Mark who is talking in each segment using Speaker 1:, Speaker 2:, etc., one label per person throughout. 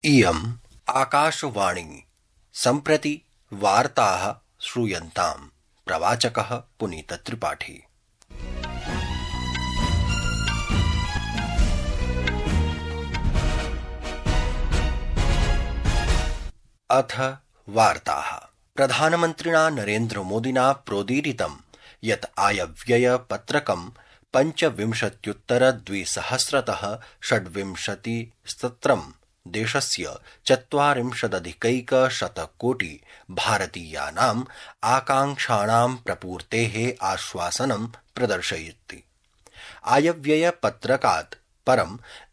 Speaker 1: इयम् आकाशवाणी सम्प्रति वार्ताः श्रूयन्ताम्। प्रवाचकः पुनीतत्रिपाठी। अथ वार्ताः। प्रधानमन्त्रिणा नरेन्द्रमोदिना प्रोदीरितं यत् आयव्ययपत्रकं 25-द्विसहस्रतः 26 देशस्य 40,000-कोटि भारतीयानाम् आकाङ्क्षाणां प्रपूर्तेः आश्वासनं प्रदर्शयति। आयव्ययपत्रकात् परं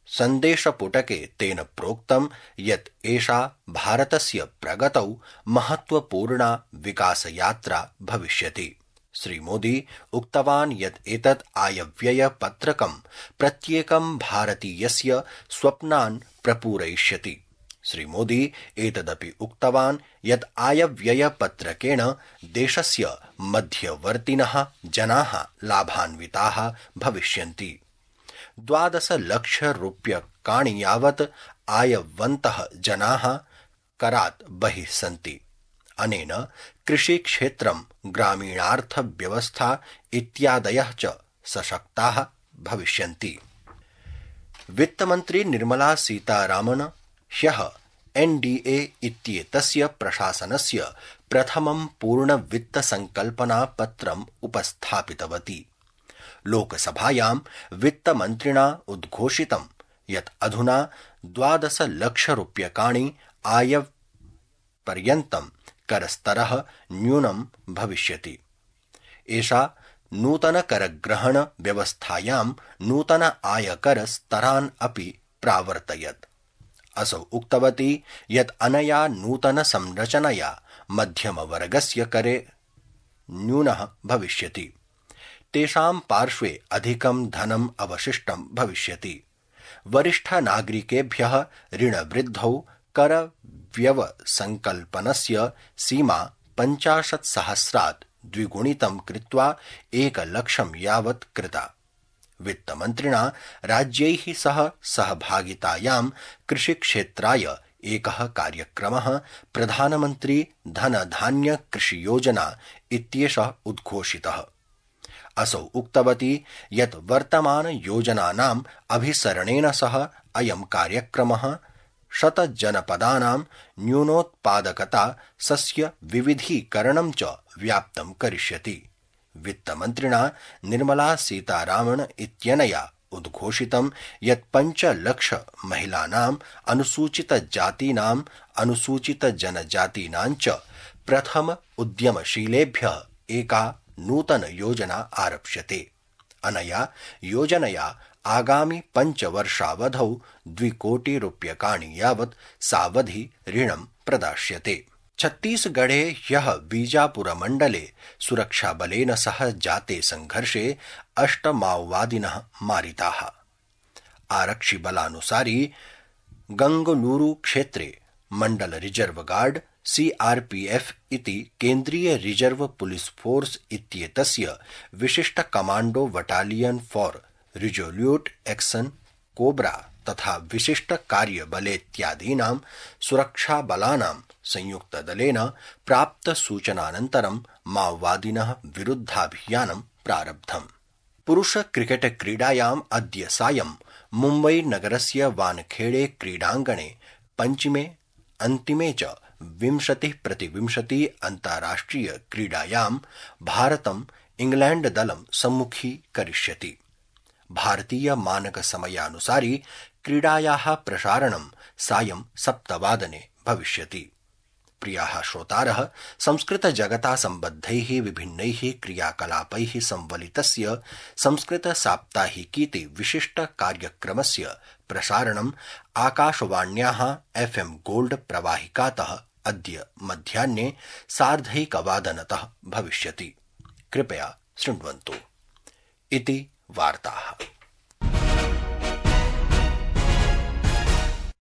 Speaker 1: सन्देशपुटके तेन प्रोक्तं यत् एषा भारतस्य प्रगतौ महत्वपूर्णा विकासयात्रा भविष्यति। श्रीमोदी उक्तवान् यत् एतत् आयव्ययपत्रकं प्रत्येकं भारतीयस्य स्वप्नान् प्रपूरयिष्यति। श्रीमोदी एतदपि उक्तवान् यत् आयव्ययपत्रकेण देशस्य मध्यवर्तिनः जनाः लाभान्विताः भविष्यन्ति। 12 लक्षरूप्यकाणि यावत् आयवन्तः जनाः करात् बहिः सन्ति। अनेन कृषिक्षेत्रं, ग्रामीणार्थव्यवस्था इत्यादयः च सशक्ताः भविष्यन्ति। वित्तमन्त्री निर्मला सीतारामन् ह्यः एनडीए इत्येतस्य प्रशासनस्य प्रथमं पूर्णवित्तसंकल्पनापत्रम् उपस्थापितवती। लोकसभायां वित्तमन्त्रिणा उद्घोषितं यत् अधुना 12 लक्षरूप्यकाणि आयपर्यन्तं करस्तरः न्यूनं भविष्यति। एषा नूतनकरग्रहण व्यवस्थायां नूतन आयकरस्तरान् अपि प्रावर्तयत्। असौ उक्तवती यत् अनया नूतनसंरचनया मध्यमवर्गस्य करे न्यूनः भविष्यति। तेषां पार्श्वे अधिकं धनम् अवशिष्टं भविष्यति। वरिष्ठनागरिकेभ्यः ऋणवृद्धौ करव्यवसंकल्पनस्य सीमा 50,000 द्विगुणितं कृत्वा 1,00,000 यावत् कृता। वित्तमन्त्रिणा राज्यैः सह सहभागितायां कृषिक्षेत्राय एकः कार्यक्रमः प्रधानमन्त्री धनधान्य कृषियोजना इत्येषः उद्घोषितः। असौ उक्तवती यत् वर्तमानयोजनानाम् अभिसरणेन सह अयं कार्यक्रमः 100 जनपदानां न्यूनोत्पादकता सस्य विविधीकरणं च व्याप्तं करिष्यति। वित्तमन्त्रिणा निर्मला सीतारामन् इत्यनया उद्घोषितं यत् 5 लक्ष महिलानाम्, अनुसूचितजातीनाम्, अनुसूचितजनजातीनां च प्रथम उद्यमशीलेभ्यः एका नूतन योजना आरप्स्यते। अनया योजनया आगामि 5 वर्षावधौ 2 कोटि रूप्यकाणि यावत् सावधि ऋणं प्रदास्यते। छत्तीसगढ़े ह्यः बीजापुरमण्डले सुरक्षाबलेन सह जाते संघर्षे 8 माओवादिनः मारिताः। आरक्षिबलानुसारि गंगलूरु क्षेत्रे मंडल रिजर्व गार्ड CRPF इति केन्द्रीय रिजर्व पुलिस फोर्स इत्येतस्य विशिष्ट commando battalion for resolute action cobra तथा विशिष्ट कार्यबलेत्यादीनां सुरक्षाबलानां संयुक्तदलेन प्राप्त सूचनानन्तरं माओवादिनः विरुद्धाभियानं प्रारब्धम्। पुरुष क्रिकेट क्रीडायाम् अद्य सायं मुम्बई नगरस्य वानखेड़े क्रीडाङ्गणे पञ्चमे अन्तिमे च 20-20 अन्ताराष्ट्रिय क्रीडायां भारतम् इंग्लैंड दलं सम्मुखीकरिष्यति। भारतीय मानक समयानुसारि क्रीडायाः प्रसारणं सायं 7 वादने भविष्यति। प्रियाः श्रोतारः, संस्कृत जगता सम्बद्धैः विभिन्नैः क्रियाकलापैः संवलितस्य संस्कृत साप्ताहिकीति विशिष्ट कार्यक्रमस्य प्रसारणम् आकाशवाण्याः FM गोल्ड प्रवाहिकातः अद्य मध्याह्ने 1:30 भविष्यति। कृपया शृण्वन्तु। इति वार्ताः।